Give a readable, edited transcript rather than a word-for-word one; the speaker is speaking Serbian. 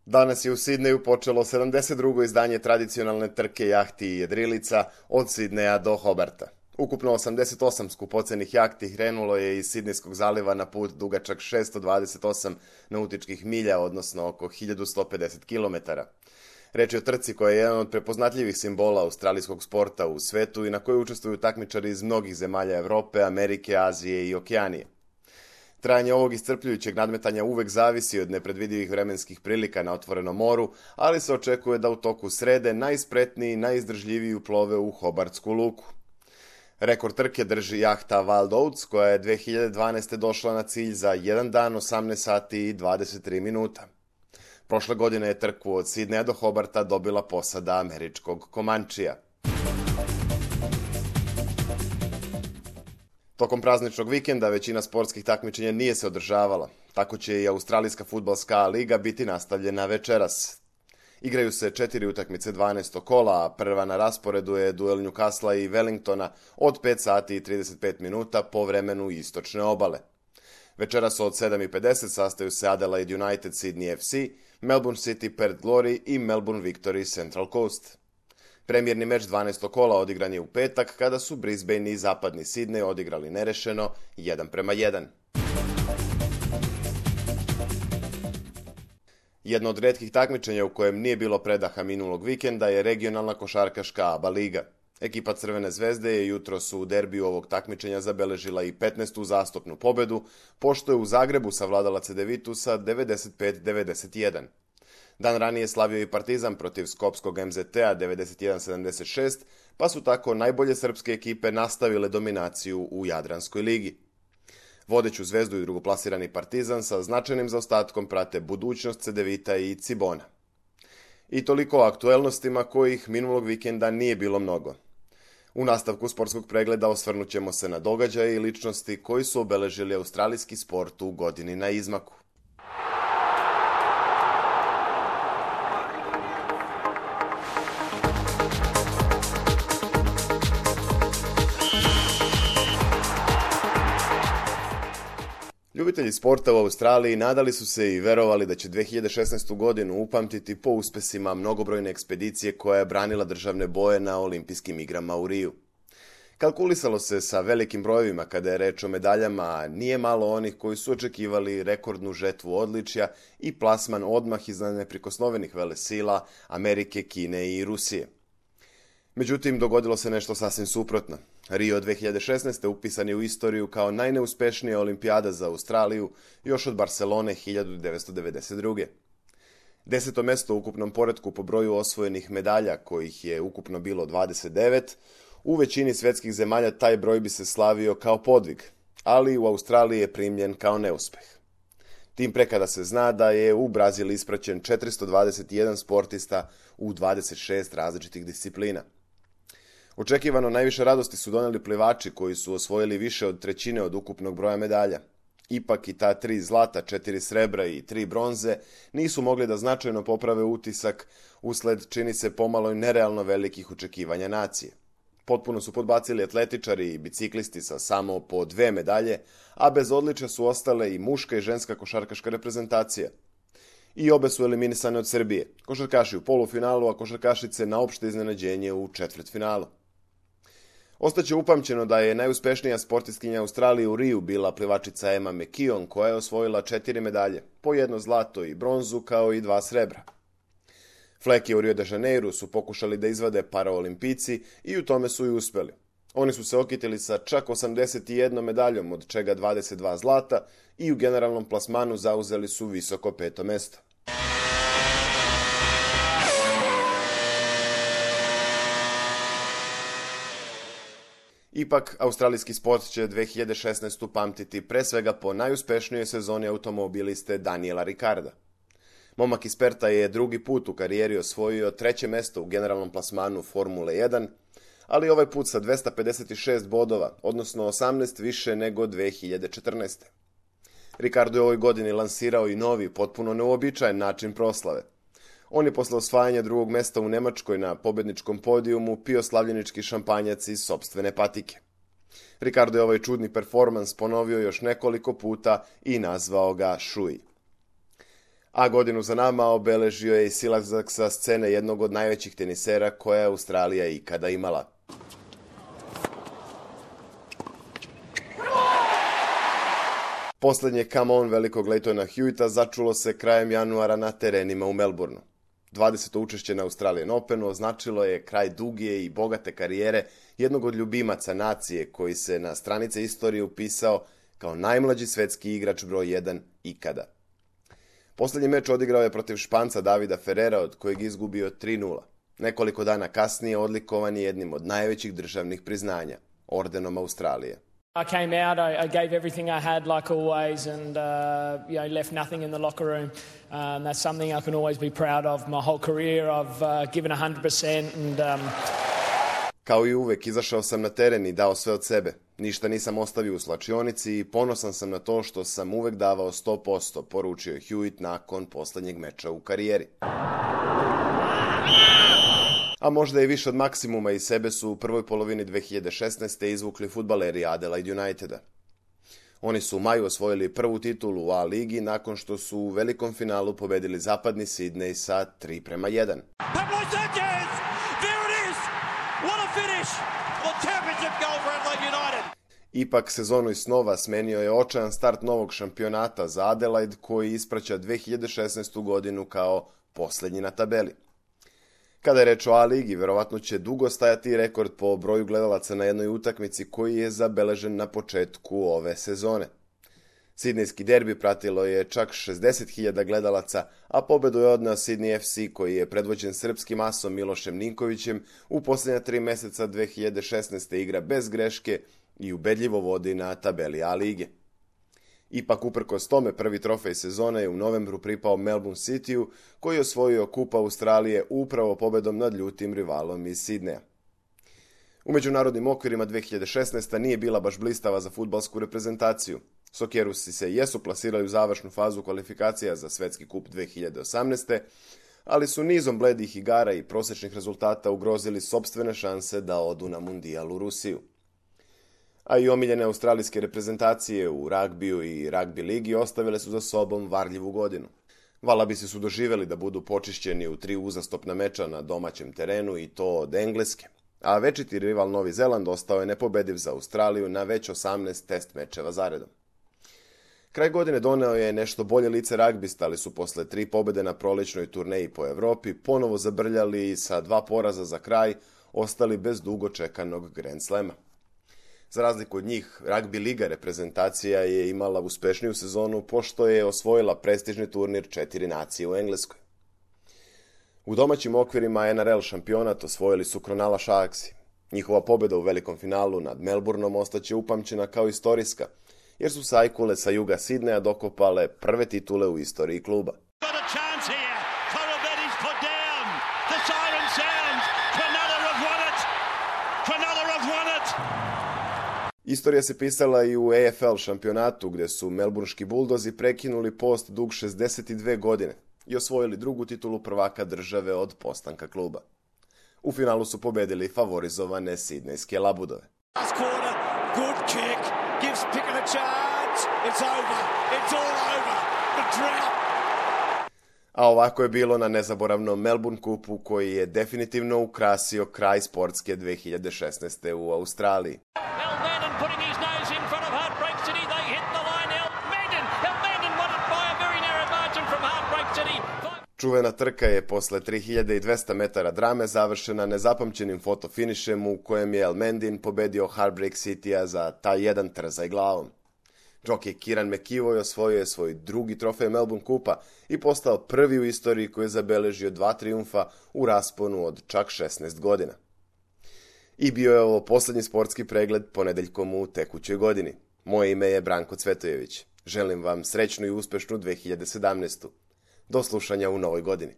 Danas je u Sidneju počelo 72. izdanje tradicionalne trke jahti i jedrilica od Sidneja do Hobarta. Ukupno 88 skupocenih jahti krenulo je iz Sidnejskog zaliva na put dugačak 628 nautičkih milja, odnosno oko 1150 km. Reč je o trci koja je jedan od prepoznatljivih simbola australijskog sporta u svetu i na kojoj učestvuju takmičari iz mnogih zemalja Evrope, Amerike, Azije i Okeanije. Trajanje ovog iscrpljujućeg nadmetanja uvek zavisi od nepredvidivih vremenskih prilika na otvorenom moru, ali se očekuje da u toku srede najspretniji i najizdržljiviji uplove u Hobartsku luku. Rekord trke drži jahta Wild Oats, koja je 2012. došla na cilj za 1 dan, 18 sati i 23 minuta. Prošle godine je trku od Sidneja do Hobarta dobila posada američkog Comanchea. Tokom prazničnog vikenda većina sportskih takmičenja nije se održavala. Tako će i Australijska fudbalska liga biti nastavljena večeras. Igraju se 4 utakmice 12. kola, a prva na rasporedu je duel Newcastle i Wellingtona od 5 sati i 35 minuta po vremenu istočne obale. Večeras od 7:50 sastaju se Adelaide United Sydney FC, Melbourne City Perth Glory i Melbourne Victory Central Coast. Premijerni meč 12. kola odigran je u petak, kada su Brisbane i zapadni Sidney odigrali nerešeno 1:1. Jedno od retkih takmičenja u kojem nije bilo predaha minulog vikenda je regionalna košarkaška ABA liga. Ekipa Crvene zvezde je jutros u derbiju ovog takmičenja zabeležila i 15. uzastopnu pobedu, pošto je u Zagrebu savladala Cedevitu sa 95-91. Dan ranije slavio i Partizan protiv skopskog MZT-a 91-76, pa su tako najbolje srpske ekipe nastavile dominaciju u Jadranskoj ligi. Vodeću Zvezdu i drugoplasirani Partizan sa značajnim zaostatkom prate budućnost Cedevita i Cibona. I toliko o aktuelnostima kojih minulog vikenda nije bilo mnogo. U nastavku sportskog pregleda osvrnut ćemo se na događaje i ličnosti koji su obeležili australijski sport u godini na izmaku. Ljubitelji sporta u Australiji nadali su se i verovali da će 2016. godinu upamtiti po uspesima mnogobrojne ekspedicije koja je branila državne boje na olimpijskim igrama u Riju. Kalkulisalo se sa velikim brojevima kada je reč o medaljama, a nije malo onih koji su očekivali rekordnu žetvu odličja i plasman odmah iznad neprikosnovenih velesila Amerike, Kine i Rusije. Međutim, dogodilo se nešto sasvim suprotno. Rio 2016. upisan je u istoriju kao najneuspešnija olimpijada za Australiju još od Barcelone 1992. 10. mesto u ukupnom poretku po broju osvojenih medalja, kojih je ukupno bilo 29, u većini svetskih zemalja taj broj bi se slavio kao podvig, ali u Australiji je primljen kao neuspeh. Tim pre kada se zna da je u Brazil ispraćen 421 sportista u 26 različitih disciplina. Očekivano najviše radosti su doneli plivači koji su osvojili više od trećine od ukupnog broja medalja. Ipak i ta 3 zlata, 4 srebra i 3 bronze nisu mogli da značajno poprave utisak usled, čini se, pomalo i nerealno velikih očekivanja nacije. Potpuno su podbacili atletičari i biciklisti sa samo po 2 medalje, a bez odličja su ostale i muška i ženska košarkaška reprezentacija. I obe su eliminisane od Srbije. Košarkaši u polufinalu, a košarkašice na opšte iznenađenje u četvrtfinalu. Ostaće upamćeno da je najuspešnija sportistkinja Australije u Riju bila plivačica Emma McKeon, koja je osvojila 4 medalje, po 1 zlato i bronzu kao i 2 srebra. Fleke u Rio de Janeiru su pokušali da izvade paraolimpijci i u tome su i uspeli. Oni su se okitili sa čak 81 medaljom, od čega 22 zlata, i u generalnom plasmanu zauzeli su visoko 5. mesto. Ipak, australijski sport će 2016. pamtiti pre svega po najuspešnijoj sezoni automobiliste Daniela Ricarda. Momak iz Perta je drugi put u karijeri osvojio 3. mesto u generalnom plasmanu Formule 1, ali ovaj put sa 256 bodova, odnosno 18 više nego 2014. Ricardo je u ovoj godini lansirao i novi, potpuno neuobičajen način proslave. On je posle osvajanja 2. mesta u Nemačkoj na pobedničkom podijumu pio slavljenički šampanjac iz sopstvene patike. Ricardo je ovaj čudni performans ponovio još nekoliko puta i nazvao ga Šuj. A godinu za nama obeležio je i silazak sa scene jednog od najvećih tenisera koja je Australija ikada imala. Poslednje come on velikog Lleytona Hewitta začulo se krajem januara na terenima u Melbourneu. 20. učešće na Australian Openu označilo je kraj duge i bogate karijere jednog od ljubimaca nacije koji se na stranice istorije upisao kao najmlađi svetski igrač broj 1 ikada. Poslednji meč odigrao je protiv Španca Davida Ferrera, od kojeg izgubio 3:0. Nekoliko dana kasnije odlikovan je jednim od najvećih državnih priznanja, ordenom Australije. I came out, I gave everything I had like always and left nothing in the locker room. That's something I can always be proud of. My whole career I've given 100% and Kao i uvek, izašao sam na teren i dao sve od sebe. Ništa nisam ostavio u slačionici i ponosan sam na to što sam uvek davao 100%, poručio je Hewitt nakon poslednjeg meča u karijeri. A možda i više od maksimuma iz sebe su u prvoj polovini 2016. izvukli fudbaleri Adelaide Uniteda. Oni su u maju osvojili prvu titulu u A ligi nakon što su u velikom finalu pobedili zapadni Sidney sa 3:1. Ipak sezonu iz snova smenio je očajan start novog šampionata za Adelaide koji ispraća 2016. godinu kao poslednji na tabeli. Kada je reč o A ligi, verovatno će dugo stajati rekord po broju gledalaca na jednoj utakmici koji je zabeležen na početku ove sezone. Sidnejski derbi pratilo je čak 60.000 gledalaca, a pobedu je odneo Sydney FC koji je predvođen srpskim asom Milošem Ninkovićem u posljednja 3 meseca 2016. igra bez greške i ubedljivo vodi na tabeli A lige. Ipak, uprkos tome, prvi trofej sezone je u novembru pripao Melbourne Cityu, koji je osvojio kup Australije upravo pobedom nad ljutim rivalom iz Sidneja. U međunarodnim okvirima 2016. nije bila baš blistava za fudbalsku reprezentaciju. Sokerusi se jesu plasirali u završnu fazu kvalifikacija za svetski kup 2018. ali su nizom bledih igara i prosečnih rezultata ugrozili sopstvene šanse da odu na mundijal u Rusiju. A i omiljene australijske reprezentacije u ragbiju i ragbi ligi ostavile su za sobom varljivu godinu. Valabisi su doživjeli da budu počišćeni u 3 uzastopna meča na domaćem terenu i to od Engleske, a večiti rival Novi Zeland ostao je nepobediv za Australiju na već 18 test mečeva zaredom. Kraj godine doneo je nešto bolje lice ragbista, ali su posle 3 pobede na prolećnoj turneji po Evropi ponovo zabrljali i sa 2 poraza za kraj ostali bez dugo čekanog Grand Slema. Za razliku od njih, ragbi liga reprezentacija je imala uspešniju sezonu pošto je osvojila prestižni turnir 4 nacije u Engleskoj. U domaćim okvirima NRL šampionat osvojili su Cronulla Sharksi. Njihova pobjeda u velikom finalu nad Melbourneom ostaće upamćena kao istorijska, jer su sajkule sa juga Sidneja dokopale prve titule u istoriji kluba. Istorija se pisala i u AFL šampionatu gdje su melburnški buldozi prekinuli post dug 62 godine i osvojili drugu titulu prvaka države od postanka kluba. U finalu su pobedili favorizovane sidnejske labudove. A ovako je bilo na nezaboravnom Melbourne kupu koji je definitivno ukrasio kraj sportske 2016. u Australiji. Čuvena trka je posle 3200 metara drame završena nezapamćenim fotofinišem u kojem je Elmendin pobedio Heartbreak Citya za taj jedan trzaj glavom. Džokej Kieran McEvoy osvojio je svoj drugi trofej Melbourne kupa i postao prvi u istoriji koji je zabeležio 2 trijumfa u rasponu od čak 16 godina. I bio je ovo poslednji sportski pregled ponedeljkom u tekućoj godini. Moje ime je Branko Cvetojević. Želim vam srećnu i uspešnu 2017. Do slušanja u novoj godini.